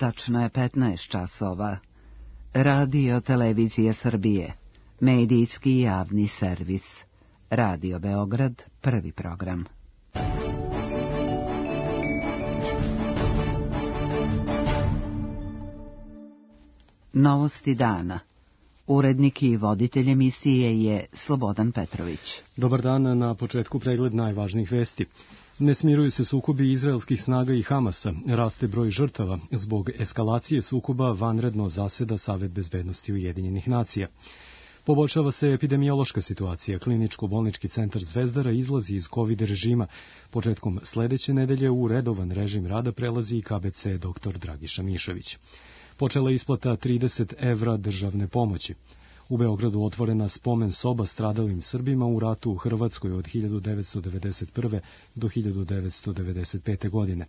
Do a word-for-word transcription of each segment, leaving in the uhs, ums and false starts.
Tačno je petnaest časova. Radio Televizija Srbije, medijski javni servis. Radio Beograd, prvi program. Novosti dana. Urednik i voditelj emisije je Slobodan Petrović. Dobar dan, na početku pregled najvažnijih vesti. Ne smiruju se sukobi izraelskih snaga i Hamasa, raste broj žrtava. Zbog eskalacije sukoba vanredno zaseda Savet bezbednosti Ujedinjenih nacija. Poboljšava se epidemiološka situacija. Kliničko-bolnički centar Zvezdara izlazi iz COVID režima. Početkom sledeće nedelje u redovan režim rada prelazi i K B C doktor Dragiša Mišević. Počela je isplata trideset evra državne pomoći. U Beogradu otvorena spomen soba stradalim Srbima u ratu u Hrvatskoj od hiljadu devetsto devedeset prve. do hiljadu devetsto devedeset pete. godine.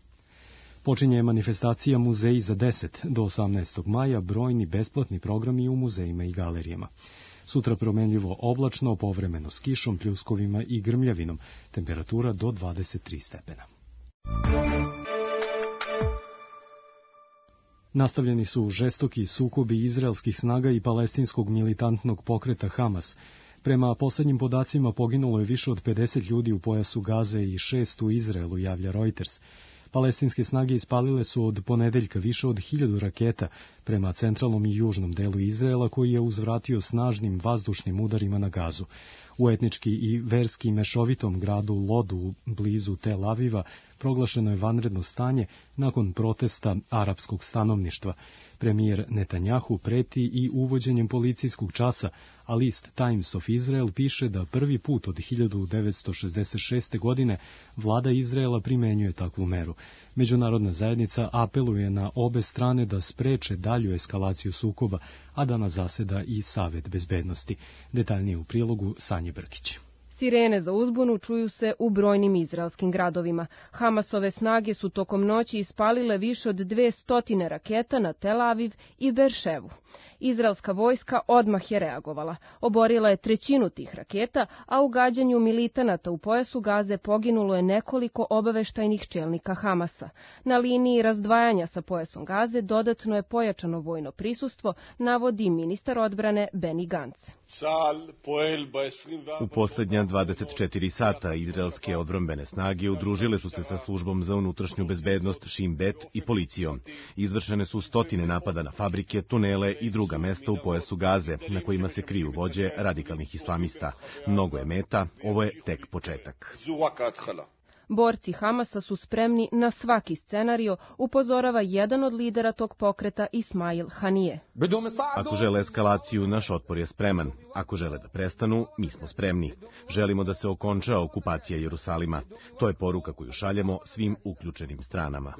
Počinje manifestacija Muzeji za deset. Do osamnaestog maja brojni besplatni programi u muzejima i galerijama. Sutra promenljivo oblačno, povremeno s kišom, pljuskovima i grmljavinom. Temperatura do dvadeset tri stepena. Nastavljeni su žestoki sukobi izraelskih snaga i palestinskog militantnog pokreta Hamas. Prema poslednjim podacima poginulo je više od pedeset ljudi u pojasu Gaze i šest u Izraelu, javlja Reuters. Palestinske snage ispalile su od ponedeljka više od hiljadu raketa prema centralnom i južnom delu Izraela, koji je uzvratio snažnim vazdušnim udarima na Gazu. U etnički i verski mešovitom gradu Lodu, blizu Tel Aviva, proglašeno je vanredno stanje nakon protesta arapskog stanovništva. Premijer Netanjahu preti i uvođenjem policijskog časa, a list Times of Israel piše da prvi put od hiljadu devetsto šezdeset šeste. godine vlada Izraela primenjuje takvu meru. Međunarodna zajednica apeluje na obe strane da spreče dalju eskalaciju sukoba, a danas zaseda i Savet bezbednosti. Detaljnije u prilogu Sanje Brkić. Sirene za uzbunu čuju se u brojnim izraelskim gradovima. Hamasove snage su tokom noći ispalile više od dve stotine raketa na Tel Aviv i Berševu. Izraelska vojska odmah je reagovala. Oborila je trećinu tih raketa, a u gađanju militanata u pojasu Gaze poginulo je nekoliko obaveštajnih čelnika Hamasa. Na liniji razdvajanja sa pojasom Gaze dodatno je pojačano vojno prisustvo, navodi ministar odbrane Benny Gantz. U posljednja dvadeset četiri sata izraelske odbrambene snage udružile su se sa službom za unutrašnju bezbednost Shin Bet i policijom. Izvršene su stotine napada na fabrike, tunele i druga mesta u pojasu Gaze, na kojima se kriju vođe radikalnih islamista. Mnogo je meta, ovo je tek početak. Borci Hamasa su spremni na svaki scenario, upozorava jedan od lidera tog pokreta Ismail Hanije. Ako žele eskalaciju, naš otpor je spreman. Ako žele da prestanu, mi smo spremni. Želimo da se okonča okupacija Jerusalima. To je poruka koju šaljemo svim uključenim stranama.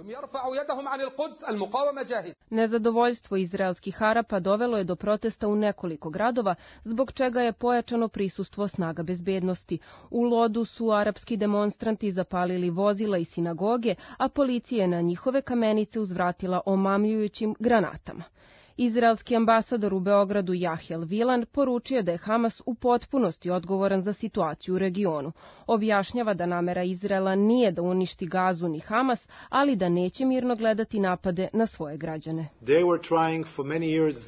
Nezadovoljstvo izraelskih Arapa dovelo je do protesta u nekoliko gradova, zbog čega je pojačano prisustvo snaga bezbednosti. U Lodu su arapski demonstranti zapalili vozila i sinagoge, a policija je na njihove kamenice uzvratila omamljujućim granatama. Izraelski ambasador u Beogradu Jahjel Vilan poručio da je Hamas u potpunosti odgovoran za situaciju u regionu. Objašnjava da namera Izraela nije da uništi Gazu ni Hamas, ali da neće mirno gledati napade na svoje građane.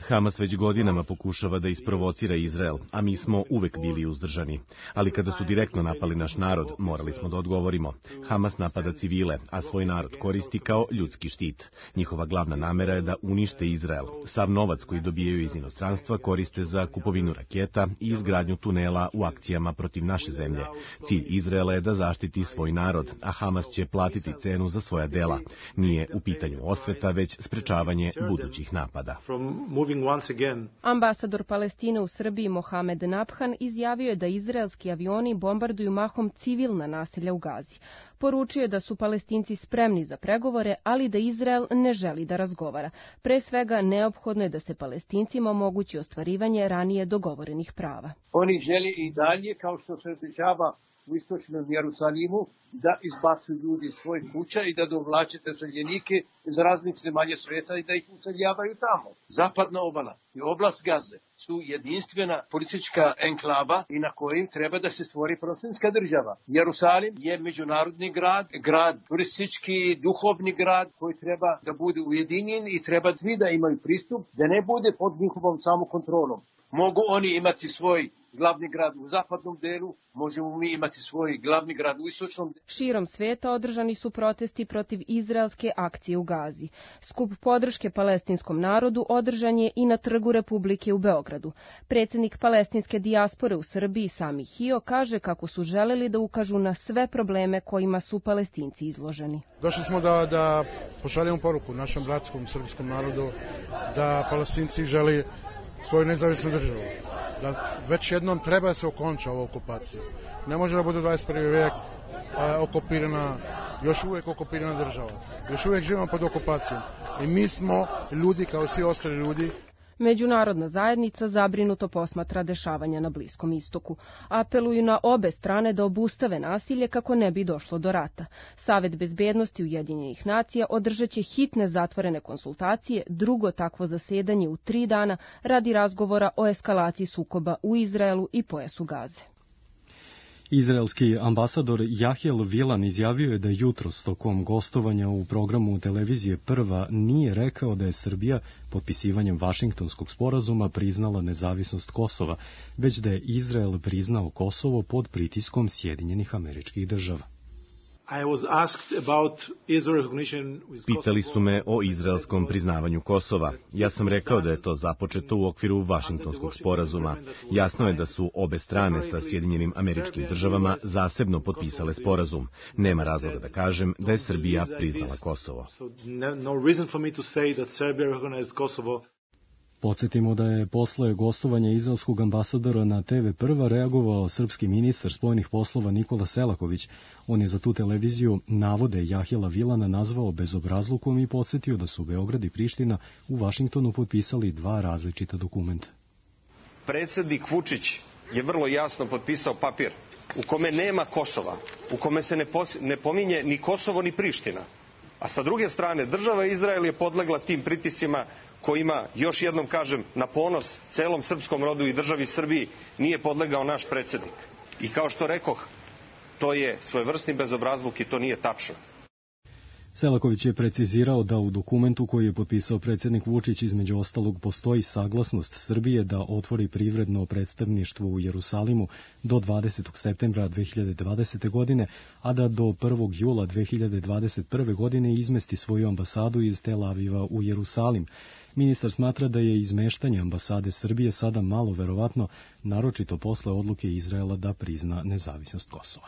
Hamas već godinama pokušava da isprovocira Izrael, a mi smo uvek bili uzdržani. Ali kada su direktno napali naš narod, morali smo da odgovorimo. Hamas napada civile, a svoj narod koristi kao ljudski štit. Njihova glavna namera je da unište Izrael. Sav novac koji dobijaju iz inostranstva koriste za kupovinu raketa i izgradnju tunela u akcijama protiv naše zemlje. Cilj Izraela je da zaštiti svoj narod, a Hamas će platiti cenu za svoja dela. Nije u pitanju osveta, već sprečavanje budućih napada. Ambasador Palestine u Srbiji Mohamed Nabhan izjavio je da izraelski avioni bombarduju mahom civilna naselja u Gazi. Poručio je da su Palestinci spremni za pregovore, ali da Izrael ne želi da razgovara. Pre svega, neophodno je da se Palestincima omogući ostvarivanje ranije dogovorenih prava. Oni žele i dalje, kao što se dešava u istočnom Jerusalimu, da izbacuju ljudi iz svojih kuća i da dovlače seljenike iz raznih zemalja sveta i da ih useljavaju tamo. Zapadna obala i oblast Gaze su jedinstvena politička enklava i na kojim treba da se stvori palestinska država. Jerusalim je međunarodni grad, grad turistički, duhovni grad koji treba da bude ujedinjen i treba svi da imaju pristup, da ne bude pod njihovom samokontrolom. Mogu oni imati svoj glavni grad u zapadnom delu, možemo mi imati svoj glavni grad u istočnom delu. Širom sveta održani su protesti protiv izraelske akcije u Gazi. Skup podrške palestinskom narodu održan je i na Trgu Republike u Beogradu. Predsjednik palestinske dijaspore u Srbiji Sami Hio kaže kako su želeli da ukažu na sve probleme kojima su Palestinci izloženi. Došli smo da, da pošaljemo poruku našem bratskom srpskom narodu da Palestinci želi svoju nezavisnu državu. Da već jednom treba da se okonča ova okupacija. Ne može da bude dvadeset prvi vijek a, okupirana, još uvijek okupirana država. Još uvijek živimo pod okupacijom. I mi smo ljudi kao svi ostali ljudi. Međunarodna zajednica zabrinuto posmatra dešavanja na Bliskom istoku. Apeluju na obe strane da obustave nasilje kako ne bi došlo do rata. Savet bezbednosti Ujedinjenih nacija održat će hitne zatvorene konsultacije, drugo takvo zasedanje u tri dana radi razgovora o eskalaciji sukoba u Izraelu i pojasu Gaze. Izraelski ambasador Jahiel Vilan izjavio je da jutros tokom gostovanja u programu televizije Prva nije rekao da je Srbija potpisivanjem Vašingtonskog sporazuma priznala nezavisnost Kosova, već da je Izrael priznao Kosovo pod pritiskom Sjedinjenih Američkih Država. Pitali su me o izraelskom priznavanju Kosova. Ja sam rekao da je to započeto u okviru Vašingtonskog sporazuma. Jasno je da su obe strane sa Sjedinjenim Američkim Državama zasebno potpisale sporazum. Nema razloga da kažem da je Srbija priznala Kosovo. Podsjetimo da je posle gostovanja izraelskog ambasadora na te ve Prva reagovao srpski ministar spoljnih poslova Nikola Selaković. On je za tu televiziju navode Jahjela Vilana nazvao bezobrazlukom i podsjetio da su Beograd i Priština u Vašingtonu potpisali dva različita dokumenta. Predsjednik Vučić je vrlo jasno potpisao papir u kome nema Kosova, u kome se ne, ne pominje ni Kosovo ni Priština. A sa druge strane, država Izrael je podlegla tim pritiscima kojima, još jednom kažem, na ponos celom srpskom rodu i državi Srbiji nije podlegao naš predsjednik. I kao što rekoh, to je svojevrsni bezobrazluk i to nije tačno. Selaković je precizirao da u dokumentu koji je potpisao predsjednik Vučić između ostalog postoji saglasnost Srbije da otvori privredno predstavništvo u Jerusalimu do dvadesetog septembra dve hiljade dvadesete. godine, a da do prvog jula dve hiljade dvadeset prve. godine izmesti svoju ambasadu iz Tel Aviva u Jerusalim. Ministar smatra da je izmeštanje ambasade Srbije sada malo verovatno, naročito posle odluke Izraela da prizna nezavisnost Kosova.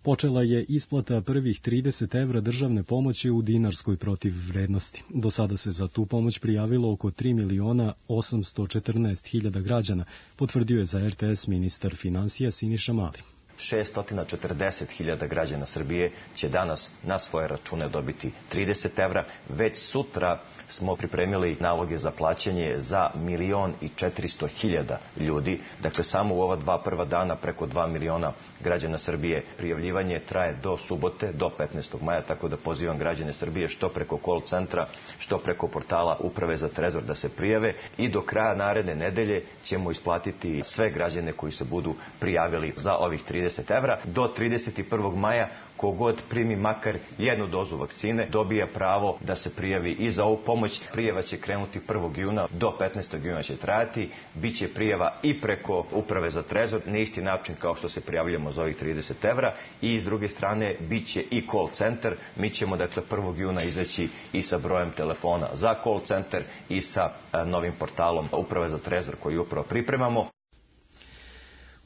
Počela je isplata prvih trideset evra državne pomoći u dinarskoj protivvrednosti. Do sada se za tu pomoć prijavilo oko tri miliona osamsto četrnaest hiljada građana, potvrdio je za er te es ministar finansija Siniša Mali. šesto četrdeset hiljada građana Srbije će danas na svoje račune dobiti trideset evra. Već sutra smo pripremili naloge za plaćanje za milion i četiristo hiljada ljudi. Dakle, samo u ova dva prva dana preko dva miliona građana Srbije. Prijavljivanje traje do subote, do petnaestog maja, tako da pozivam građane Srbije što preko call centra, što preko portala Uprave za trezor da se prijave i do kraja naredne nedelje ćemo isplatiti sve građane koji se budu prijavili za ovih trideset evra. Do trideset prvog maja kogod primi makar jednu dozu vakcine dobija pravo da se prijavi i za ovu pomoć. Prijava će krenuti prvog juna, do petnaestog juna će trajati. Biće prijava i preko Uprave za trezor, na isti način kao što se prijavljamo za ovih trideset evra, i s druge strane biće i call centar. Mi ćemo dakle prvog juna izaći i sa brojem telefona za call centar i sa a, novim portalom Uprave za trezor koji upravo pripremamo.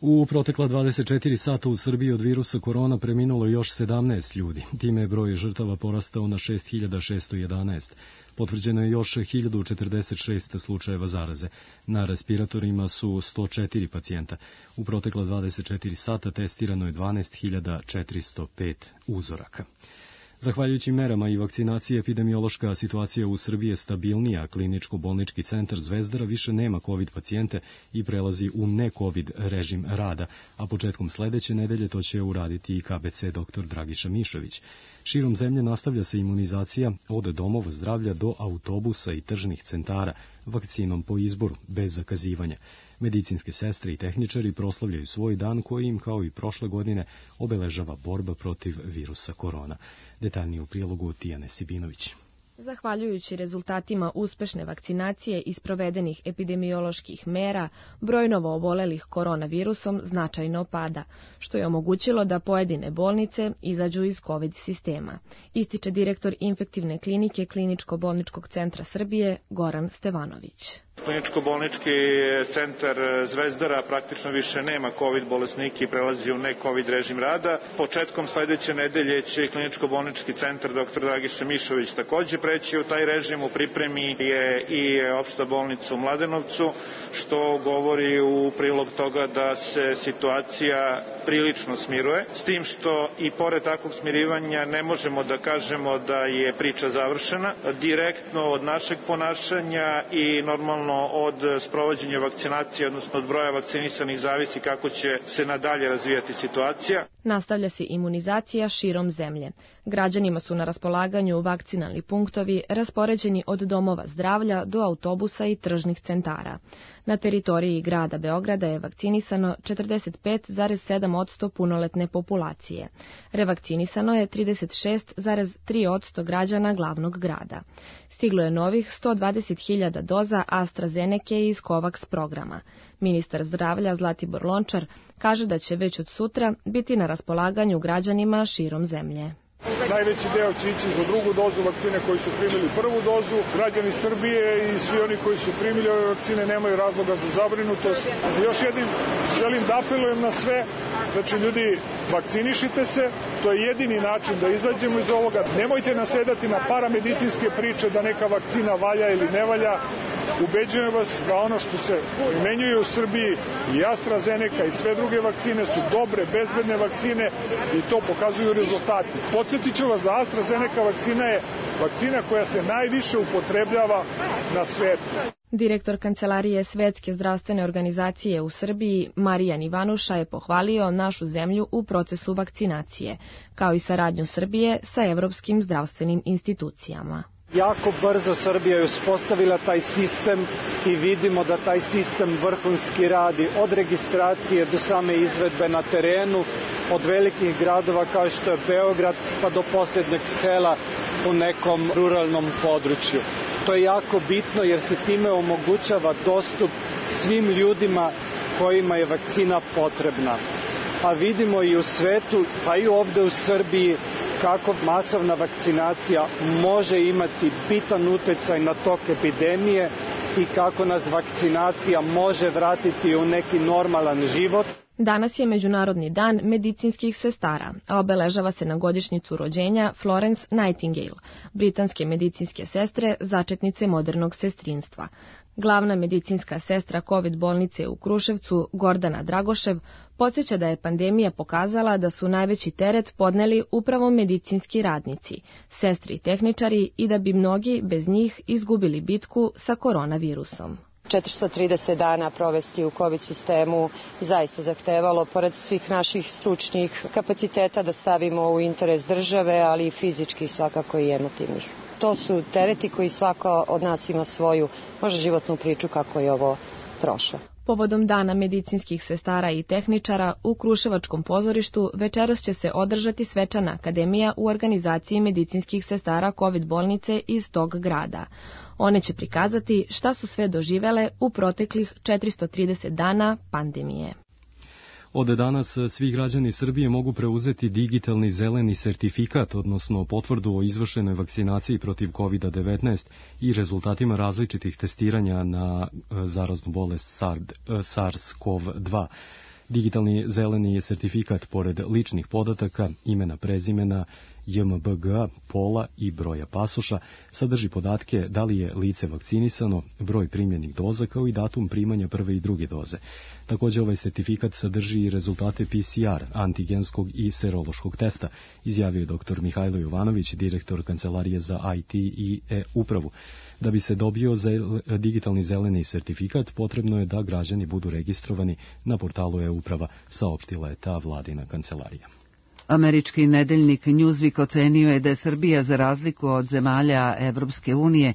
U protekla dvadeset četiri sata u Srbiji od virusa korona preminulo još sedamnaest ljudi. Time je broj žrtava porastao na šest hiljada šesto jedanaest. Potvrđeno je još hiljadu četrdeset šest slučajeva zaraze. Na respiratorima su sto četiri pacijenta. U protekla dvadeset četiri sata testirano je dvanaest hiljada četiristo pet uzoraka. Zahvaljujući merama i vakcinaciji, epidemiološka situacija u Srbiji je stabilnija. Kliničko-bolnički centar Zvezdara više nema COVID pacijente i prelazi u ne-COVID režim rada, a početkom sledeće nedelje to će uraditi i K B C doktor Dragiša Mišović. Širom zemlje nastavlja se imunizacija od domova zdravlja do autobusa i tržnih centara, vakcinom po izboru, bez zakazivanja. Medicinske sestre i tehničari proslavljaju svoj dan koji im, kao i prošle godine, obeležava borba protiv virusa korona. Detaljnije u prilogu Tijane Sibinović. Zahvaljujući rezultatima uspešne vakcinacije i sprovedenih epidemioloških mera, broj novoobolelih koronavirusom značajno pada, što je omogućilo da pojedine bolnice izađu iz COVID sistema, ističe direktor infektivne klinike Kliničko-bolničkog centra Srbije Goran Stevanović. Kliničko-bolnički centar Zvezdara praktično više nema COVID bolesnike i prelazi u ne-COVID režim rada. Početkom sledeće nedelje će Kliničko-bolnički centar doktor Dragiša Mišović takođe preći u taj režim. U pripremi je i opšta bolnica u Mladenovcu, što govori u prilog toga da se situacija prilično smiruje, s tim što i pored takvog smirivanja ne možemo da kažemo da je priča završena. Direktno od našeg ponašanja i normalno od sprovođenja vakcinacije, odnosno od broja vakcinisanih, zavisi kako će se nadalje razvijati situacija. Nastavlja se imunizacija širom zemlje. Građanima su na raspolaganju vakcinalni punktovi raspoređeni od domova zdravlja do autobusa i tržnih centara. Na teritoriji grada Beograda je vakcinisano četrdeset pet zarez sedam posto punoletne populacije. Revakcinisano je trideset šest zarez tri posto građana glavnog grada. Stiglo je novih sto dvadeset hiljada doza AstraZeneke iz COVAX programa. Ministar zdravlja Zlatibor Lončar kaže da će već od sutra biti na raspolaganju građanima širom zemlje. Najveći deo će ići za drugu dozu vakcine koji su primili prvu dozu. Građani Srbije i svi oni koji su primili ove vakcine nemaju razloga za zabrinutost. Još jednim želim da apelujem na sve, znači ljudi, vakcinišite se, to je jedini način da izađemo iz ovoga. Nemojte nasedati na paramedicinske priče da neka vakcina valja ili ne valja. Ubeđujem vas da ono što se primenjuje u Srbiji i AstraZeneca i sve druge vakcine su dobre, bezbedne vakcine i to pokazuju rezultati. Podsjetit ću vas da AstraZeneca vakcina je vakcina koja se najviše upotrebljava na svetu. Direktor Kancelarije Svetske zdravstvene organizacije u Srbiji, Marijan Ivanuša, je pohvalio našu zemlju u procesu vakcinacije, kao i saradnju Srbije sa evropskim zdravstvenim institucijama. Jako brzo Srbija je uspostavila taj sistem i vidimo da taj sistem vrhunski radi od registracije do same izvedbe na terenu, od velikih gradova kao što je Beograd pa do posljednjeg sela u nekom ruralnom području. To je jako bitno jer se time omogućava dostup svim ljudima kojima je vakcina potrebna. A vidimo i u svetu, pa i ovde u Srbiji, kako masovna vakcinacija može imati bitan uticaj na tok epidemije i kako nas vakcinacija može vratiti u neki normalan život. Danas je Međunarodni dan medicinskih sestara, a obeležava se na godišnjicu rođenja Florence Nightingale, britanske medicinske sestre, začetnice modernog sestrinstva. Glavna medicinska sestra COVID bolnice u Kruševcu, Gordana Dragošev, podsjeća da je pandemija pokazala da su najveći teret podneli upravo medicinski radnici, sestri i tehničari i da bi mnogi bez njih izgubili bitku sa koronavirusom. četiristo trideset dana provesti u COVID sistemu zaista zahtevalo, pored svih naših stručnih kapaciteta, da stavimo u interes države, ali i fizički svakako i emotivnih. To su tereti koji svako od nas ima svoju, možda životnu priču kako je ovo prošlo. Povodom Dana medicinskih sestara i tehničara u Kruševačkom pozorištu večeras će se održati svečana akademija u organizaciji medicinskih sestara COVID bolnice iz tog grada. One će prikazati šta su sve doživele u proteklih četiristo trideset dana pandemije. Od danas svi građani Srbije mogu preuzeti digitalni zeleni sertifikat, odnosno potvrdu o izvršenoj vakcinaciji protiv kovid devetnaest i rezultatima različitih testiranja na zaraznu bolest SARS-CoV dva. Digitalni zeleni sertifikat, pored ličnih podataka, imena, prezimena, J M B G a, pola i broja pasoša, sadrži podatke da li je lice vakcinisano, broj primljenih doza kao i datum primanja prve i druge doze. Također ovaj sertifikat sadrži i rezultate P C R, antigenskog i serološkog testa, izjavio je doktor Mihajlo Jovanović, direktor Kancelarije za I T i e-upravu. Da bi se dobio zel, digitalni zeleni sertifikat, potrebno je da građani budu registrovani na portalu e-uprava, saopštila je ta vladina kancelarija. Američki nedeljnik Newsweek ocenio je da je Srbija, za razliku od zemalja Evropske unije,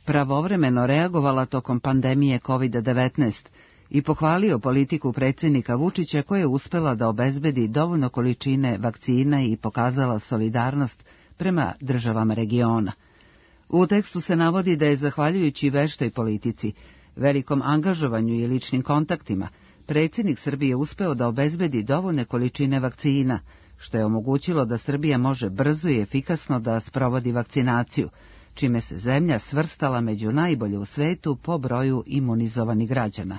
pravovremeno reagovala tokom pandemije kovid devetnaest i pohvalio politiku predsjednika Vučića koja je uspela da obezbedi dovoljno količine vakcina i pokazala solidarnost prema državama regiona. U tekstu se navodi da je zahvaljujući veštoj politici, velikom angažovanju i ličnim kontaktima, predsjednik Srbije uspeo da obezbedi dovoljne količine vakcina, što je omogućilo da Srbija može brzo i efikasno da sprovodi vakcinaciju, čime se zemlja svrstala među najbolje u svetu po broju imunizovanih građana.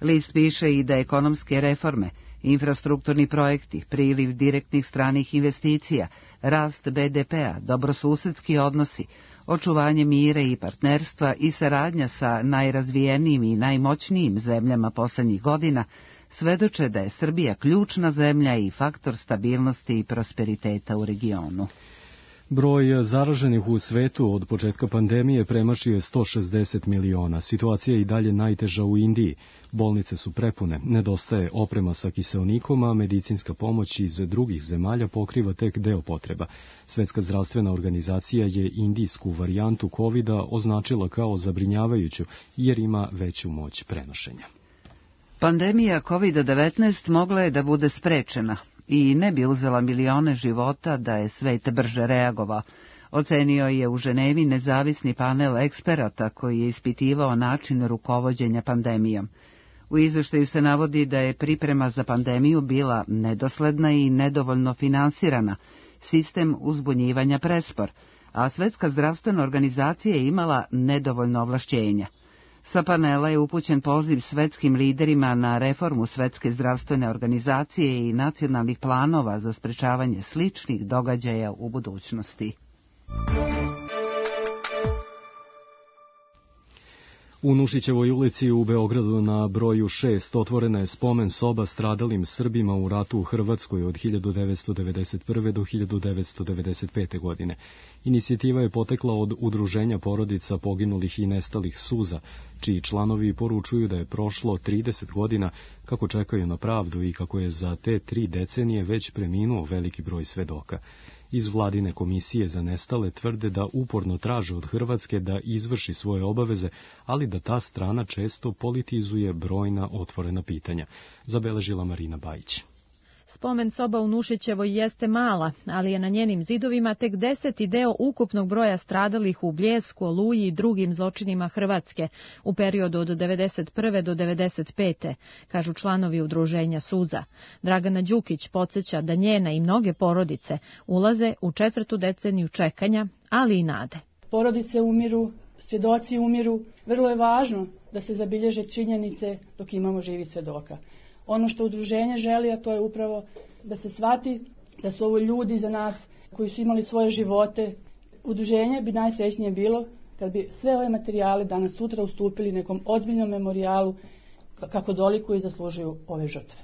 List piše i da ekonomske reforme, infrastrukturni projekti, priliv direktnih stranih investicija, rast B D P-a, dobrosusedski odnosi, očuvanje mira i partnerstva i saradnja sa najrazvijenijim i najmoćnijim zemljama posljednjih godina svedoče da je Srbija ključna zemlja i faktor stabilnosti i prosperiteta u regionu. Broj zaraženih u svetu od početka pandemije premašio je sto šezdeset miliona. Situacija je i dalje najteža u Indiji. Bolnice su prepune, nedostaje oprema sa kiseonikom, a medicinska pomoć iz drugih zemalja pokriva tek deo potreba. Svetska zdravstvena organizacija je indijsku varijantu kovida označila kao zabrinjavajuću jer ima veću moć prenošenja. Pandemija kovid devetnaest mogla je da bude sprečena i ne bi uzela milione života da je svet brže reagovao, ocenio je u Ženevi nezavisni panel eksperata koji je ispitivao način rukovođenja pandemijom. U izveštaju se navodi da je priprema za pandemiju bila nedosledna i nedovoljno finansirana, sistem uzbunjivanja prespor, a Svetska zdravstvena organizacija je imala nedovoljno ovlašćenja. Sa panela je upućen poziv svetskim liderima na reformu Svetske zdravstvene organizacije i nacionalnih planova za sprečavanje sličnih događaja u budućnosti. U Nušićevoj ulici u Beogradu na broju šest otvorena je spomen soba stradalim Srbima u ratu u Hrvatskoj od hiljadu devetsto devedeset prve. do hiljadu devetsto devedeset pete. godine. Inicijativa je potekla od Udruženja porodica poginulih i nestalih Suza, čiji članovi poručuju da je prošlo trideset godina kako čekaju na pravdu i kako je za te tri decenije već preminuo veliki broj svedoka. Iz vladine komisije za nestale tvrde da uporno traže od Hrvatske da izvrši svoje obaveze, ali da ta strana često politizuje brojna otvorena pitanja, zabeležila Marina Bajić. Spomen soba u Nušićevoj jeste mala, ali je na njenim zidovima tek deseti deo ukupnog broja stradalih u Bljesku, Oluji i drugim zločinima Hrvatske u periodu od devedeset prve. do devedeset pete. kažu članovi udruženja Suza. Dragana Đukić podsjeća da njena i mnoge porodice ulaze u četvrtu deceniju čekanja, ali i nade. Porodice umiru, svjedoci umiru. Vrlo je važno da se zabilježe činjenice dok imamo živi svjedoka. Ono što udruženje želi, a to je upravo da se shvati da su ovo ljudi za nas koji su imali svoje živote. Udruženje bi najsrećnije bilo kad bi sve ove materijale danas sutra ustupili nekom ozbiljnom memorijalu kako dolikuju i zaslužuju ove žrtve.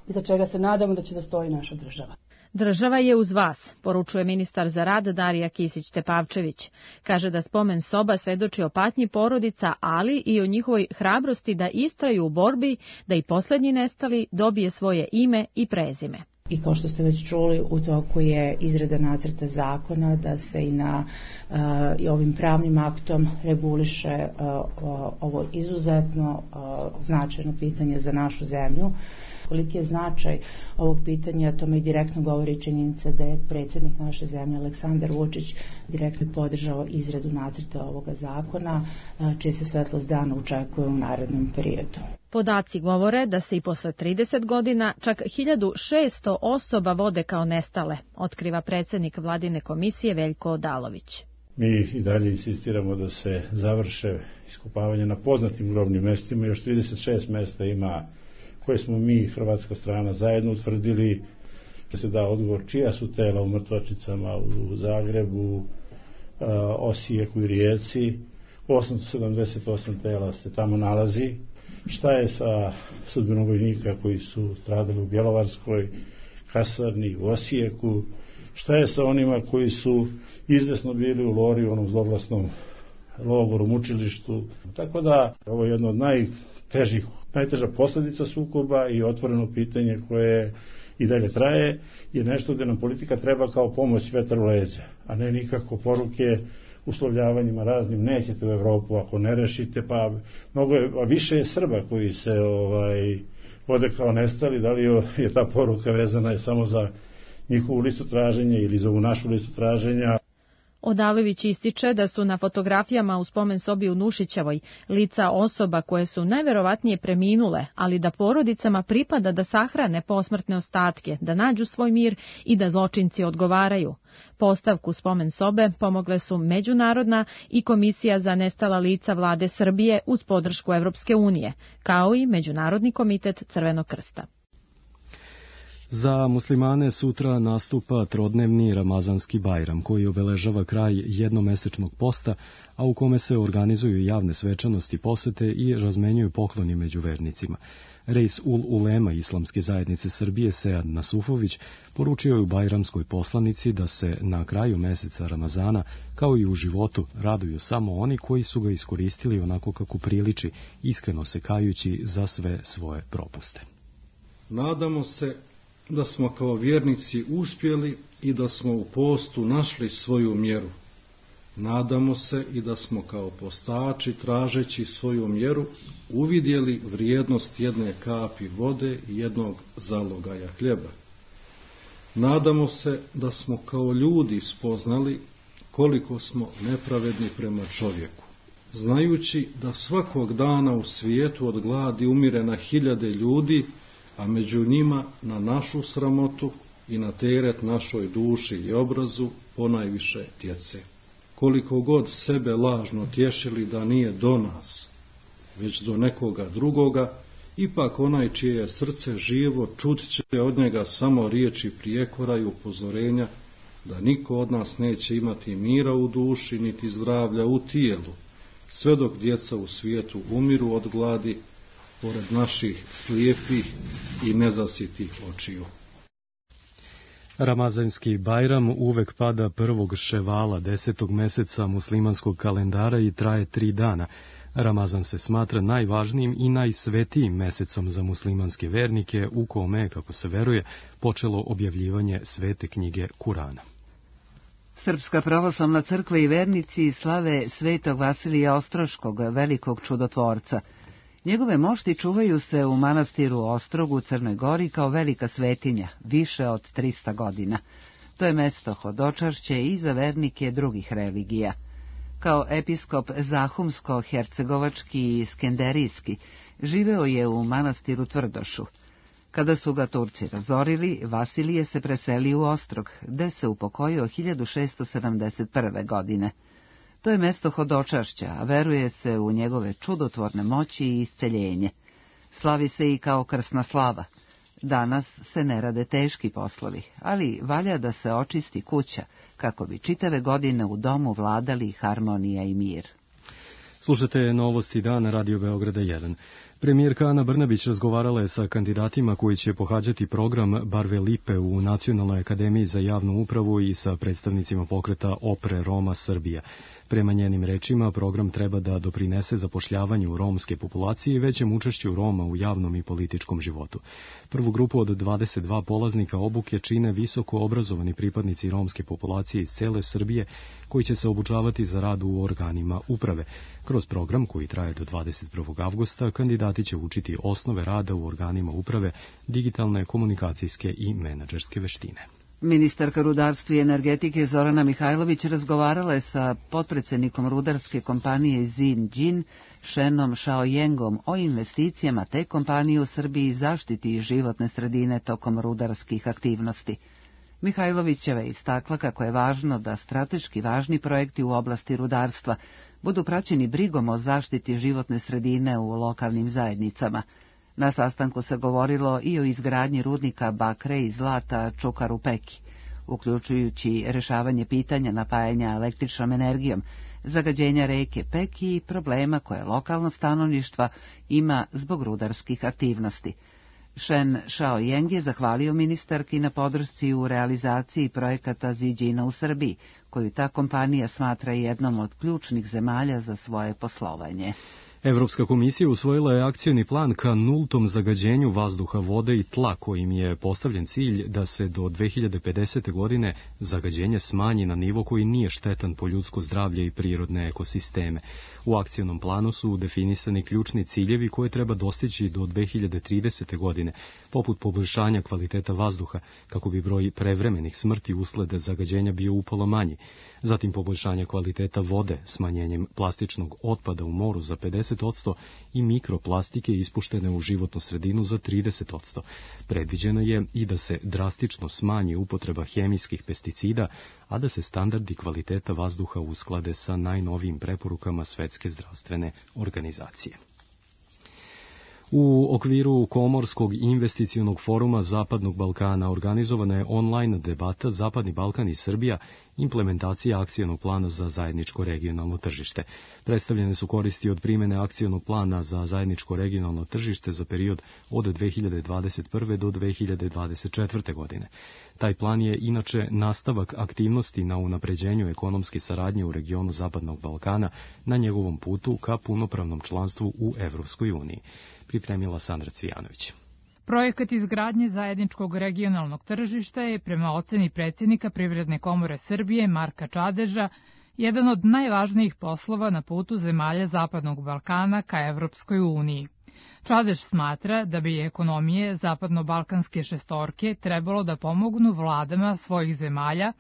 I za čega se nadamo da će da stoji naša država. Država je uz vas, poručuje ministar za rad Darija Kisić-Tepavčević. Kaže da spomen soba svedoči o patnji porodica, ali i o njihovoj hrabrosti da istraju u borbi, da i posljednji nestali dobije svoje ime i prezime. I kao što ste već čuli, u toku je izrada nacrta zakona da se i na uh, i ovim pravnim aktom reguliše uh, ovo izuzetno uh, značajno pitanje za našu zemlju. Koliki je značaj ovog pitanja, tome i direktno govori činjenica da je predsjednik naše zemlje Aleksandar Vučić direktno podržao izradu nacrta ovoga zakona, čije se svetlost dana očekuje u narednom periodu. Podaci govore da se i posle trideset godina čak hiljadu šesto osoba vode kao nestale, otkriva predsjednik vladine komisije Veljko Odalović. Mi i dalje insistiramo da se završe iskopavanje na poznatim grobnim mestima, još trideset šest mesta ima koje smo mi, hrvatska strana, zajedno utvrdili, da se da odgovor čija su tela u mrtvačnicama u Zagrebu, Osijeku i Rijeci. osamsto sedamdeset osam tela se tamo nalazi. Šta je sa sudbinom vojnika koji su stradali u Bjelovarskoj kasarni, u Osijeku? Šta je sa onima koji su izvesno bili u Lori, u onom zloglasnom logoru, mučilištu? Tako da, ovo je jedno od najtežih, najteža posljedica sukoba i otvoreno pitanje koje i dalje traje, je nešto gdje nam politika treba kao pomoć vetar u leđa, a ne nikako poruke uslovljavanjima raznim, nećete u Evropu ako ne rešite, pa mnogo je, a više je Srba koji se ovaj, vode kao nestali, da li je ta poruka vezana je samo za njihovu listu traženja ili za ovu našu listu traženja. Odalović ističe da su na fotografijama u spomen sobi u Nušićevoj lica osoba koje su najverovatnije preminule, ali da porodicama pripada da sahrane posmrtne ostatke, da nađu svoj mir i da zločinci odgovaraju. Postavku spomen sobe pomogle su Međunarodna i Komisija za nestala lica Vlade Srbije uz podršku Evropske unije, kao i Međunarodni komitet Crvenog krsta. Za muslimane sutra nastupa trodnevni Ramazanski Bajram, koji obeležava kraj jednomesečnog posta, a u kome se organizuju javne svečanosti, posete i razmenjuju pokloni među vernicima. Reis ul Ulema Islamske zajednice Srbije Sead Nasufović poručio je u bajramskoj poslanici da se na kraju meseca Ramazana, kao i u životu, raduju samo oni koji su ga iskoristili onako kako priliči, iskreno se kajući za sve svoje propuste. Nadamo se da smo kao vjernici uspjeli i da smo u postu našli svoju mjeru. Nadamo se i da smo kao postači, tražeći svoju mjeru, uvidjeli vrijednost jedne kapi vode i jednog zalogaja hljeba. Nadamo se da smo kao ljudi spoznali koliko smo nepravedni prema čovjeku. Znajući da svakog dana u svijetu od gladi umire na hiljade ljudi, a među njima na našu sramotu i na teret našoj duši i obrazu ponajviše djece. Koliko god sebe lažno tješili da nije do nas, već do nekoga drugoga, ipak onaj čije je srce živo čut će od njega samo riječi prijekora i upozorenja da niko od nas neće imati mira u duši niti zdravlja u tijelu, sve dok djeca u svijetu umiru od gladi, pored naših slijepih i nezasitih očiju. Ramazanski Bajram uvek pada prvog ševala, desetog meseca muslimanskog kalendara i traje tri dana. Ramazan se smatra najvažnijim i najsvetijim mesecom za muslimanske vernike, u kome je, kako se veruje, počelo objavljivanje svete knjige Kurana. Srpska pravoslavna crkva i vernici slave svetog Vasilija Ostroškog, velikog čudotvorca. Njegove mošti čuvaju se u manastiru Ostrogu u Crnoj Gori kao velika svetinja, više od trista godina. To je mesto hodočašće i za vernike drugih religija. Kao episkop Zahumsko-hercegovački i Skenderijski živeo je u manastiru Tvrdošu. Kada su ga Turci razorili, Vasilije se preselio u Ostrog, gde se upokojio hiljadu šesto sedamdeset prve. godine. To je mesto hodočašća, a veruje se u njegove čudotvorne moći i isceljenje. Slavi se i kao krsna slava. Danas se ne rade teški poslovi, ali valja da se očisti kuća, kako bi čitave godine u domu vladali harmonija i mir. Slušate Novosti dana Radio Beograda jedan. Premijerka Ana Brnabić razgovarala je sa kandidatima koji će pohađati program Barve Lipe u Nacionalnoj akademiji za javnu upravu i sa predstavnicima pokreta Opre Roma Srbija. Prema njenim rečima, program treba da doprinese zapošljavanju romske populacije i većem učešću Roma u javnom i političkom životu. Prvu grupu od dvadeset dva polaznika obuke čine visoko obrazovani pripadnici romske populacije iz cele Srbije, koji će se obučavati za rad u organima uprave. Kroz program, koji traje do dvadeset prvog avgusta, kandidati će učiti osnove rada u organima uprave, digitalne, komunikacijske i menadžerske veštine. Ministarka rudarstva i energetike Zorana Mihajlović razgovarala je sa potpredsjednikom rudarske kompanije Zinđin, Šenom Šaojengom, o investicijama te kompanije u Srbiji i zaštiti životne sredine tokom rudarskih aktivnosti. Mihajlovićeva je istakla kako je važno da strateški važni projekti u oblasti rudarstva budu praćeni brigom o zaštiti životne sredine u lokalnim zajednicama. Na sastanku se govorilo i o izgradnji rudnika bakre i zlata Čukaru Peki, uključujući rešavanje pitanja napajanja električnom energijom, zagađenja reke Peki i problema koje lokalno stanovništva ima zbog rudarskih aktivnosti. Shen Shaoyeng je zahvalio ministarki na podršci u realizaciji projekata Ziđina u Srbiji, koju ta kompanija smatra jednom od ključnih zemalja za svoje poslovanje. Evropska komisija usvojila je akcioni plan ka nultom zagađenju vazduha, vode i tla, kojim je postavljen cilj da se do dve hiljade pedesete. godine zagađenje smanji na nivo koji nije štetan po ljudsko zdravlje i prirodne ekosisteme. U akcionom planu su definisani ključni ciljevi koje treba dostići do dve hiljade tridesete. godine, poput poboljšanja kvaliteta vazduha, kako bi broj prevremenih smrti usled zagađenja bio upola manji, zatim poboljšanje kvaliteta vode smanjenjem plastičnog otpada u moru za pedeset odsto i mikroplastike ispuštene u životnu sredinu za trideset odsto. Predviđeno je i da se drastično smanji upotreba hemijskih pesticida, a da se standardi kvaliteta vazduha usklade sa najnovijim preporukama Svetske zdravstvene organizacije. U okviru Komorskog investicionog foruma Zapadnog Balkana organizovana je online debata Zapadni Balkan i Srbija, implementacija akcionog plana za zajedničko regionalno tržište. Predstavljene su koristi od primene akcionog plana za zajedničko regionalno tržište za period od dve hiljade dvadeset prve. do dve hiljade dvadeset četvrte. godine. Taj plan je inače nastavak aktivnosti na unapređenju ekonomske saradnje u regionu Zapadnog Balkana na njegovom putu ka punopravnom članstvu u Evropskoj uniji. Pripremila Sandra Cvijanović. Projekat izgradnje zajedničkog regionalnog tržišta je, prema oceni predsjednika Privredne komore Srbije Marka Čadeža, jedan od najvažnijih poslova na putu zemalja Zapadnog Balkana ka Evropskoj uniji. Čadež smatra da bi ekonomije zapadno-balkanske šestorke trebalo da pomognu vladama svojih zemalja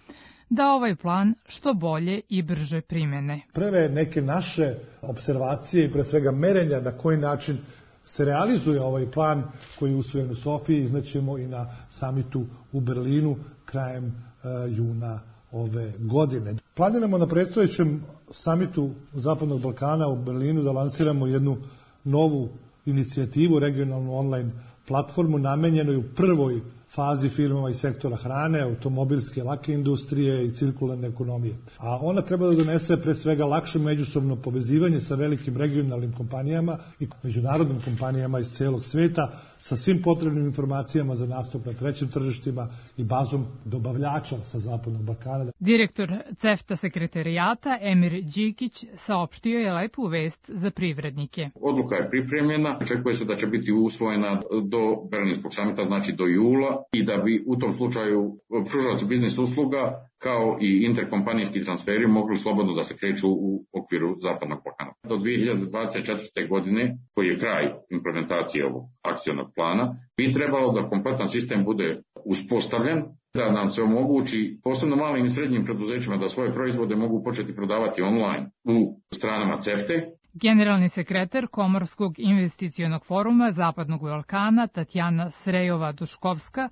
da ovaj plan što bolje i brže primene. Prve neke naše observacije i pre svega merenja na koji način se realizuje ovaj plan koji je usvojen u Sofiji, iznećemo i na samitu u Berlinu krajem uh, juna ove godine. Planiramo na predstojećem samitu Zapadnog Balkana u Berlinu da lansiramo jednu novu inicijativu, regionalnu online platformu namenjenoj u prvoj fazi firmama iz sektora hrane, automobilske, lake industrije i cirkularne ekonomije. A ona treba da donese pre svega lakše međusobno povezivanje sa velikim regionalnim kompanijama i međunarodnim kompanijama iz celog sveta sa svim potrebnim informacijama za nastup na trećim tržištima i bazom dobavljača sa Zapadnog Balkana. Direktor CEFTA sekretarijata Emir Đikić saopštio je lepu vest za privrednike. Odluka je pripremljena, očekuje se da će biti usvojena do Berlinskog samita, znači do jula, i da bi u tom slučaju pružaoci biznis usluga kao i interkompanijski transferi mogli slobodno da se kreću u okviru Zapadnog Balkana. Do dve hiljade dvadeset četvrte. godine, koji je kraj implementacije ovog akcionog plana, bi trebalo da kompletan sistem bude uspostavljen, da nam se omogući posebno malim i srednjim preduzećima da svoje proizvode mogu početi prodavati online u stranama CEFTE. Generalni sekretar Komorskog investicionog foruma Zapadnog Balkana Tatjana Srejova-Duškovska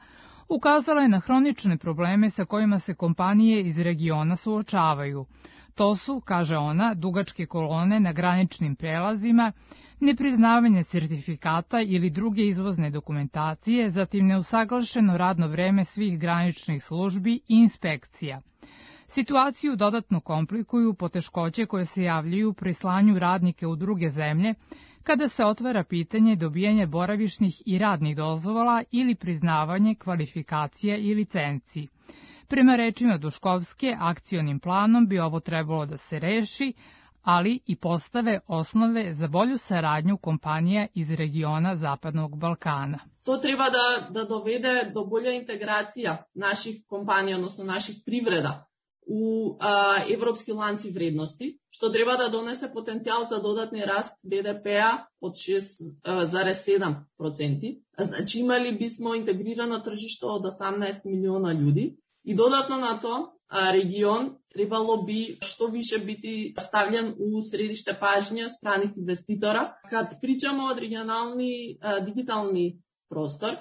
ukazala je na hronične probleme sa kojima se kompanije iz regiona suočavaju. To su, kaže ona, dugačke kolone na graničnim prelazima, nepriznavanje sertifikata ili druge izvozne dokumentacije, zatim neusaglašeno radno vreme svih graničnih službi i inspekcija. Situaciju dodatno komplikuju poteškoće koje se javljaju pri slanju radnike u druge zemlje, kada se otvara pitanje dobijanja boravišnih i radnih dozvola ili priznavanje kvalifikacija i licenci. Prema rečima Duškovske, akcionim planom bi ovo trebalo da se reši, ali i postave osnove za bolju saradnju kompanija iz regiona Zapadnog Balkana. To treba da, da dovede do bolje integracija naših kompanija, odnosno naših privreda u a, evropski lanci vrednosti, što treba da donese potencijal za dodatni rast be de pe-a od šest zarez sedam procenti. Znači imali bismo integrirano tržište od osamnaest miliona ljudi i dodatno na to a, region trebalo bi što više biti stavljen u središte pažnje stranih investitora. Kad pričamo o regionalni a, digitalni prostor,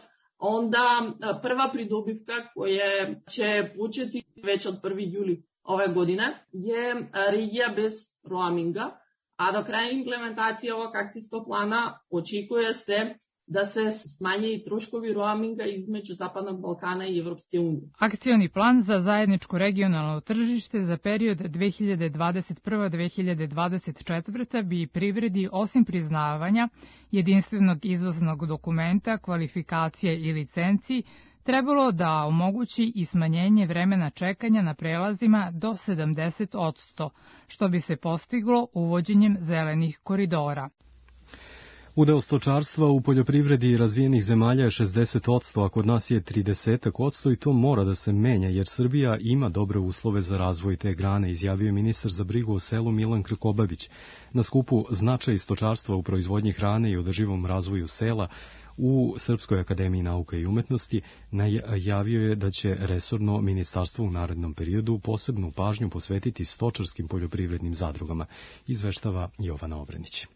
onda prva pridobivka koja će početi već od prvog jula ove godine je regija bez roaminga, a do kraja implementacije ovog akcijskog plana očekuje se da se smanje i troškovi roaminga između Zapadnog Balkana i Evropske unije. Akcioni plan za zajedničko regionalno tržište za period dve hiljade dvadeset prva do dve hiljade dvadeset četvrta bi privredi osim priznavanja jedinstvenog izvoznog dokumenta, kvalifikacije i licenciji trebalo da omogući i smanjenje vremena čekanja na prelazima do sedamdeset posto, što bi se postiglo uvođenjem zelenih koridora. Udeo stočarstva u poljoprivredi razvijenih zemalja je šezdeset posto, a kod nas je trideset posto i to mora da se menja, jer Srbija ima dobre uslove za razvoj te grane, izjavio je ministar za brigu o selu Milan Krkobabić. Na skupu Značaj stočarstva u proizvodnji hrane i održivom razvoju sela u Srpskoj akademiji nauka i umetnosti najavio je da će resorno ministarstvo u narednom periodu posebnu pažnju posvetiti stočarskim poljoprivrednim zadrugama, izveštava Jovana Obrenić.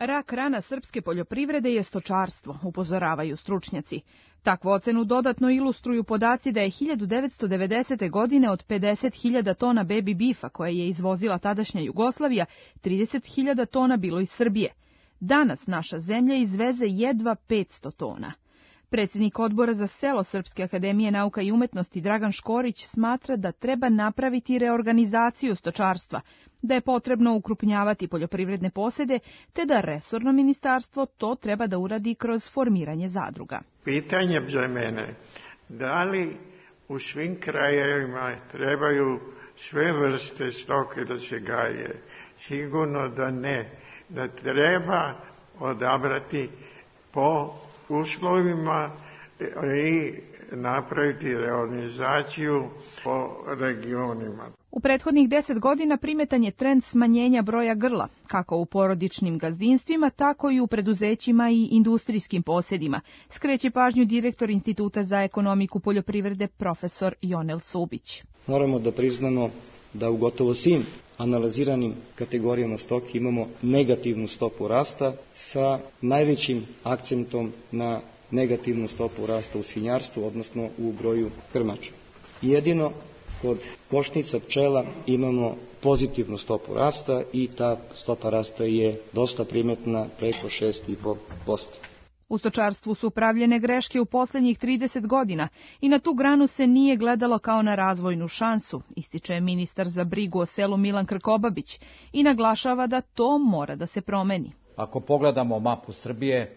Rak rana srpske poljoprivrede je stočarstvo, upozoravaju stručnjaci. Takvu ocenu dodatno ilustruju podaci da je hiljadu devetsto devedesete. godine od pedeset hiljada tona baby beefa koje je izvozila tadašnja Jugoslavija, trideset hiljada tona bilo iz Srbije. Danas naša zemlja izveze jedva petsto tona. Predsjednik odbora za selo Srpske akademije nauka i umetnosti Dragan Škorić smatra da treba napraviti reorganizaciju stočarstva, da je potrebno ukrupnjavati poljoprivredne posede, te da resorno ministarstvo to treba da uradi kroz formiranje zadruga. Pitanje za mene, da li u svim krajevima trebaju sve vrste stoke da se gaje? Sigurno da ne, da treba odabrati po uslovima i napraviti reorganizaciju po regionima. U prethodnih deset godina primetan je trend smanjenja broja grla, kako u porodičnim gazdinstvima, tako i u preduzećima i industrijskim posjedima, skreće pažnju direktor Instituta za ekonomiku poljoprivrede profesor Jonel Subić. Moramo da priznamo da u gotovo svim analiziranim kategorijama stoke imamo negativnu stopu rasta sa najvećim akcentom na negativnu stopu rasta u svinjarstvu, odnosno u broju krmača. Jedino kod košnica pčela imamo pozitivnu stopu rasta i ta stopa rasta je dosta primetna, preko šest zarez pet posto. U stočarstvu su pravljene greške u posljednjih trideset godina i na tu granu se nije gledalo kao na razvojnu šansu, ističe ministar za brigu o selu Milan Krkobabić i naglašava da to mora da se promeni. Ako pogledamo mapu Srbije,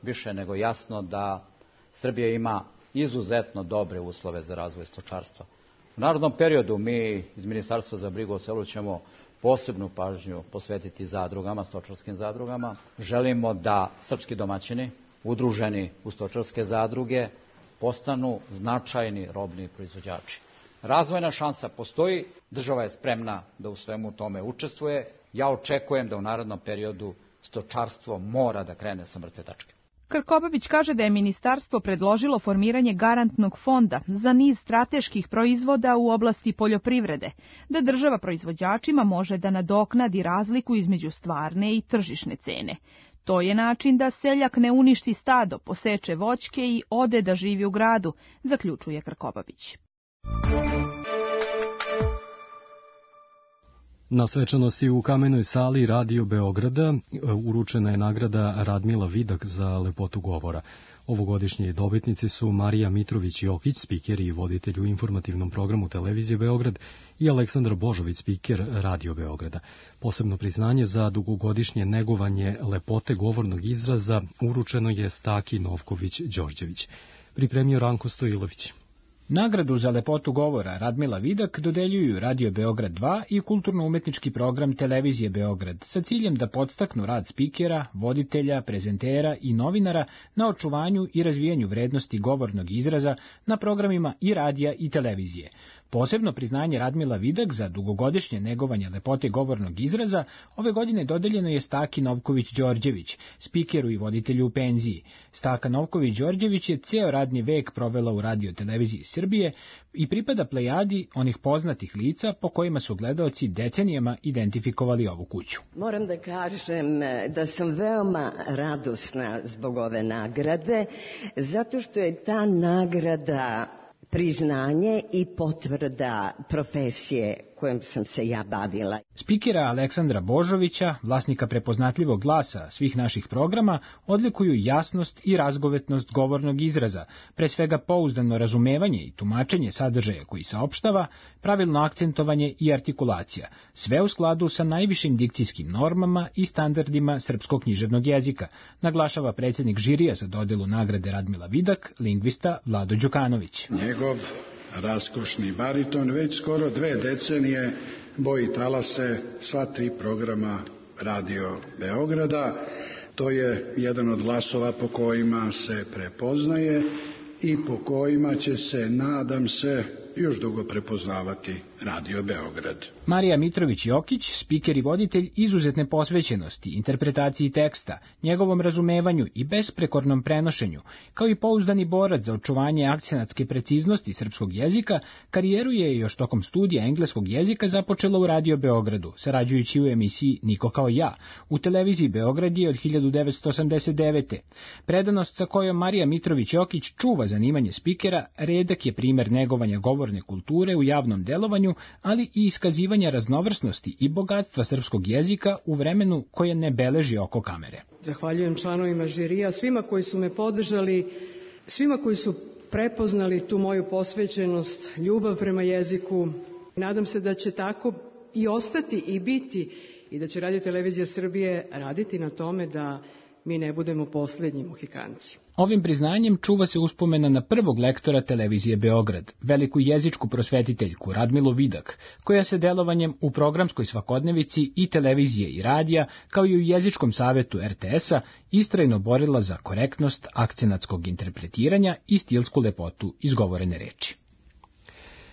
više nego jasno da Srbija ima izuzetno dobre uslove za razvoj stočarstva. U narodnom periodu mi iz Ministarstva za brigu o selu ćemo posebnu pažnju posvetiti zadrugama, stočarskim zadrugama. Želimo da srpski domaćini, udruženi u stočarske zadruge, postanu značajni robni proizvođači. Razvojna šansa postoji, država je spremna da u svemu tome učestvuje. Ja očekujem da u narednom periodu stočarstvo mora da krene sa mrtve tačke. Krkobabić kaže da je ministarstvo predložilo formiranje garantnog fonda za niz strateških proizvoda u oblasti poljoprivrede, da država proizvođačima može da nadoknadi razliku između stvarne i tržišne cene. To je način da seljak ne uništi stado, poseče voćke i ode da živi u gradu, zaključuje Krkobabić. Na svečanosti u Kamenoj sali Radio Beograda uručena je nagrada Radmila Vidak za lepotu govora. Ovogodišnji dobitnici su Marija Mitrović-Jokić, spiker i voditelj u informativnom programu Televizije Beograd, i Aleksandar Božović, spiker Radio Beograda. Posebno priznanje za dugogodišnje negovanje lepote govornog izraza uručeno je Staki Novković-Đorđević. Pripremio Ranko Stojilović. Nagradu za lepotu govora Radmila Vidak dodeljuju Radio Beograd dva i kulturno-umetnički program Televizije Beograd sa ciljem da podstaknu rad spikera, voditelja, prezentera i novinara na očuvanju i razvijanju vrednosti govornog izraza na programima i radija i televizije. Posebno priznanje Radmila Vidak za dugogodišnje negovanje lepote govornog izraza ove godine dodeljeno je Staki Novković-Đorđević, spikeru i voditelju u penziji. Staka Novković-Đorđević je ceo radni vek provela u Radio Televiziji Srbije i pripada plejadi onih poznatih lica po kojima su gledaoci decenijama identifikovali ovu kuću. Moram da kažem da sam veoma radosna zbog ove nagrade, zato što je ta nagrada priznanje i potvrda profesije kojom sam se ja bavila. Spikera Aleksandra Božovića, vlasnika prepoznatljivog glasa svih naših programa, odlikuju jasnost i razgovetnost govornog izraza, pre svega pouzdano razumevanje i tumačenje sadržaja koji saopštava, pravilno akcentovanje i artikulacija, sve u skladu sa najvišim dikcijskim normama i standardima srpskog književnog jezika, naglašava predsjednik žirija za dodelu nagrade Radmila Vidak, lingvista Vlado Đukanović. Njegov raskošni bariton već skoro dve decenije boji talase sva tri programa Radio Beograda. To je jedan od glasova po kojima se prepoznaje i po kojima će se, nadam se, još dugo prepoznavati Radio Beograd. Marija Mitrović-Jokić, spiker i voditelj izuzetne posvećenosti, interpretaciji teksta, njegovom razumevanju i besprekornom prenošenju, kao i pouzdani borac za očuvanje akcenatske preciznosti srpskog jezika, karijeru je još tokom studija engleskog jezika započela u Radio Beogradu, sarađujući u emisiji Niko kao ja, u televiziji Beograd je od hiljadu devetsto osamdeset devete. Predanost sa kojom Marija Mitrović-Jokić čuva zanimanje spikera, redak je primer negovanja govorne kulture u javnom delovanju, ali i iskazivanja raznovrsnosti i bogatstva srpskog jezika u vremenu koje ne beleži oko kamere. Zahvaljujem članovima žirija, svima koji su me podržali, svima koji su prepoznali tu moju posvećenost, ljubav prema jeziku. Nadam se da će tako i ostati i biti i da će Radio Televizija Srbije raditi na tome da mi ne budemo posljednji Mohikanci. Ovim priznanjem čuva se uspomena na prvog lektora televizije Beograd, veliku jezičku prosvetiteljku Radmilu Vidak, koja se delovanjem u programskoj svakodnevici i televizije i radija, kao i u jezičkom savetu er te es-a, istrajno borila za korektnost akcenatskog interpretiranja i stilsku lepotu izgovorene reči.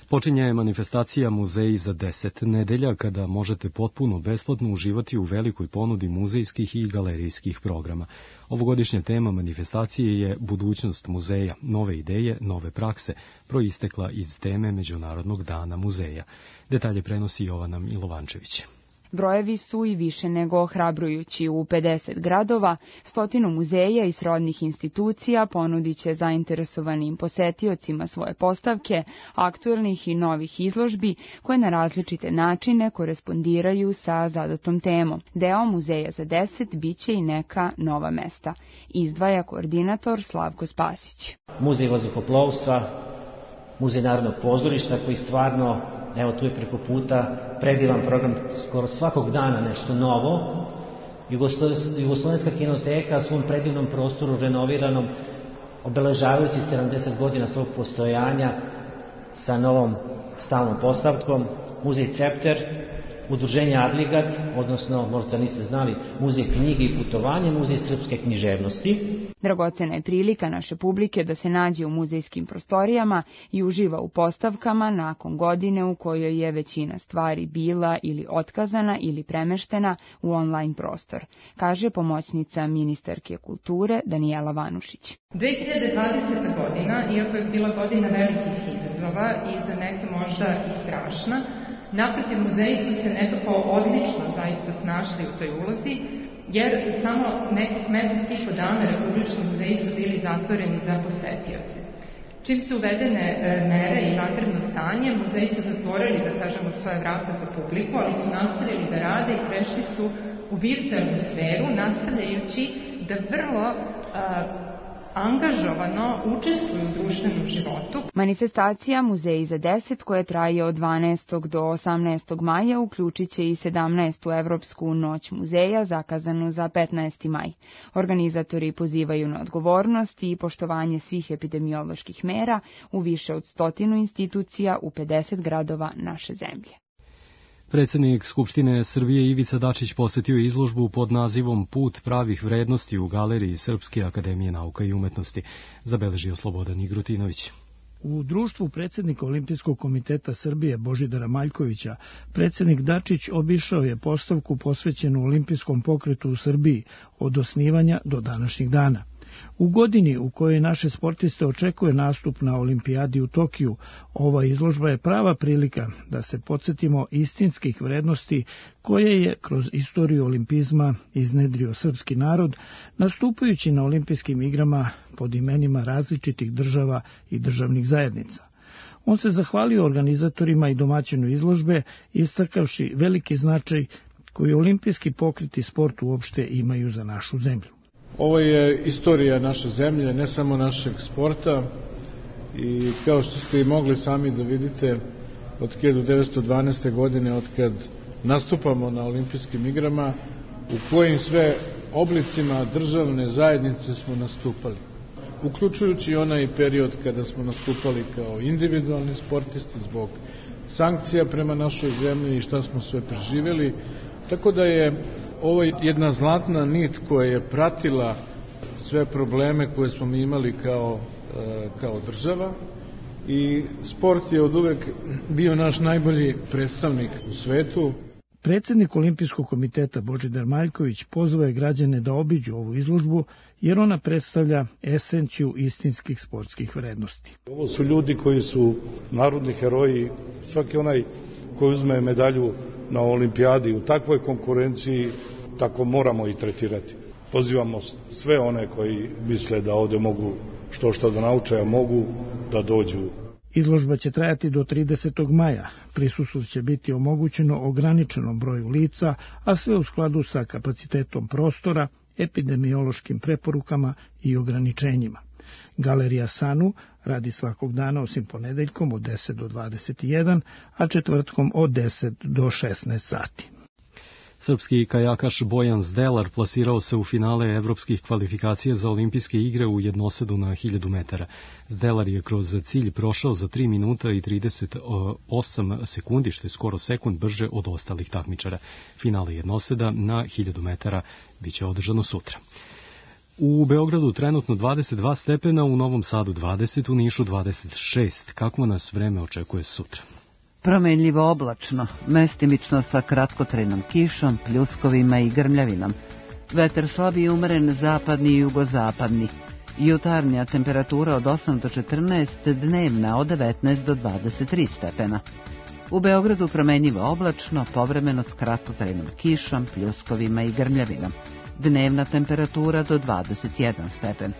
Počinje manifestacija Muzeji za deset nedelja, kada možete potpuno besplatno uživati u velikoj ponudi muzejskih i galerijskih programa. Ovogodišnja tema manifestacije je budućnost muzeja, nove ideje, nove prakse, proistekla iz teme Međunarodnog dana muzeja. Detalje prenosi Jovana Milovančević. Brojevi su i više nego ohrabrujući. U pedeset gradova, stotinu muzeja i srodnih institucija ponudit će zainteresovanim posetiocima svoje postavke, aktuelnih i novih izložbi, koje na različite načine korespondiraju sa zadatom temom. Deo Muzeja za deset biće i neka nova mesta, izdvaja koordinator Slavko Spasić. Muzej vazduhoplovstva, Muzej Narodnog pozorišta, koji stvarno, evo tu je preko puta, predivan program, skoro svakog dana nešto novo. Jugoslovenska kinoteka u svom predivnom prostoru renoviranom, obeležavajući sedamdeset godina svog postojanja sa novom stalnom postavkom, Muzej Cepter, Udruženje Adligat, odnosno, možda niste znali, Muzej knjige i putovanje, Muzej srpske književnosti. Dragocena je prilika naše publike da se nađe u muzejskim prostorijama i uživa u postavkama nakon godine u kojoj je većina stvari bila ili otkazana ili premeštena u online prostor, kaže pomoćnica ministarke kulture Danijela Vanušić. dve hiljade dvadeseta. godina, iako je bila godina velikih izazova i za neke možda i strašna, naprotiv, muzeji su se nekako odlično zaista snašli u toj ulozi, jer samo nekih mesec i po dana republički muzeji su bili zatvoreni za posetioce. Čim su uvedene mere i vanredno stanje, muzeji su zatvorili, da kažemo, svoje vrata za publiku, ali su nastavili da rade i prešli su u virtualnu sferu, nastavljajući da vrlo a, angažovano učestvuju u društvenom životu. Manifestacija Muzeji za deset, koja traje od dvanaestog do osamnaestog maja, uključit će i sedamnaestu Evropsku noć muzeja, zakazanu za petnaesti maj. Organizatori pozivaju na odgovornost i poštovanje svih epidemioloških mera u više od stotinu institucija u pedeset gradova naše zemlje. Predsjednik Skupštine Srbije Ivica Dačić posjetio izložbu pod nazivom Put pravih vrednosti u galeriji Srpske akademije nauka i umetnosti, zabeležio Slobodan Igrutinović. U društvu predsjednika Olimpijskog komiteta Srbije Božidara Maljkovića, predsjednik Dačić obišao je postavku posvećenu olimpijskom pokretu u Srbiji od osnivanja do današnjih dana. U godini u kojoj naše sportiste očekuje nastup na olimpijadi u Tokiju, ova izložba je prava prilika da se podsjetimo istinskih vrednosti koje je kroz istoriju olimpizma iznedrio srpski narod, nastupajući na olimpijskim igrama pod imenima različitih država i državnih zajednica. On se zahvalio organizatorima i domaćinu izložbe, istakavši veliki značaj koji olimpijski pokret i sport uopšte imaju za našu zemlju. Ovo je istorija naše zemlje, ne samo našeg sporta, i kao što ste i mogli sami da vidite, od hiljadu devetsto dvanaeste. godine, od kad nastupamo na olimpijskim igrama, u kojim sve oblicima državne zajednice smo nastupali. Uključujući onaj period kada smo nastupali kao individualni sportisti zbog sankcija prema našoj zemlji i šta smo sve preživjeli. Tako da je ovo jedna zlatna nit koja je pratila sve probleme koje smo mi imali kao, kao država, i sport je od uvek bio naš najbolji predstavnik u svetu. Predsednik Olimpijskog komiteta Božidar Maljković pozvao je građane da obiđu ovu izložbu, jer ona predstavlja esenciju istinskih sportskih vrednosti. Ovo su ljudi koji su narodni heroji. Svaki onaj koji uzme medalju na olimpijadi u takvoj konkurenciji, tako moramo i tretirati. Pozivamo sve one koji misle da ovde mogu što što da nauče, a mogu da dođu. Izložba će trajati do tridesetog maja. Prisustvo će biti omogućeno ograničenom broju lica, a sve u skladu sa kapacitetom prostora, epidemiološkim preporukama i ograničenjima. Galerija Sanu radi svakog dana osim ponedeljkom od deset do dvadeset jedan, a četvrtkom od deset do šesnaest sati. Srpski kajakaš Bojan Zdelar plasirao se u finale evropskih kvalifikacija za olimpijske igre u jednosedu na hiljadu metara. Zdelar je kroz cilj prošao za tri minuta i trideset osam sekundi, što je skoro sekund brže od ostalih takmičara. Finale jednoseda na hiljadu metara biće održano sutra. U Beogradu trenutno dvadeset dva stepena, u Novom Sadu dvadeset, u Nišu dvadeset šest. Kako nas vreme očekuje sutra? Promenljivo oblačno, mestimično sa kratkotrajnom kišom, pljuskovima i grmljavinom. Vetar slab i umeren zapadni i jugozapadni. Jutarnja temperatura od osam do četrnaest, dnevna od devetnaest do dvadeset tri stepena. U Beogradu promenljivo oblačno, povremeno s kratkotrajnom kišom, pljuskovima i grmljavinom. Dnevna temperatura do dvadeset jedan stepen.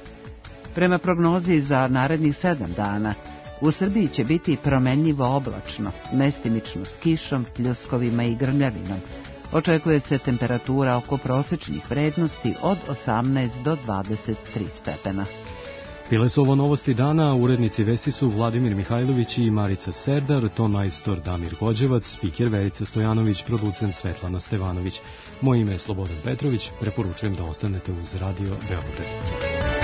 Prema prognozi za narednih sedam dana, u Srbiji će biti promenljivo oblačno, mestimično s kišom, pljuskovima i grmljavinom. Očekuje se temperatura oko prosečnih vrednosti od osamnaest do dvadeset tri stepena. Bile su ovo novosti dana, urednici vesti su Vladimir Mihajlović i Marica Serdar, ton majstor Damir Gođevac, spiker Verica Stojanović, producent Svetlana Stevanović. Moje ime je Slobodan Petrović, preporučujem da ostanete uz Radio Beograd.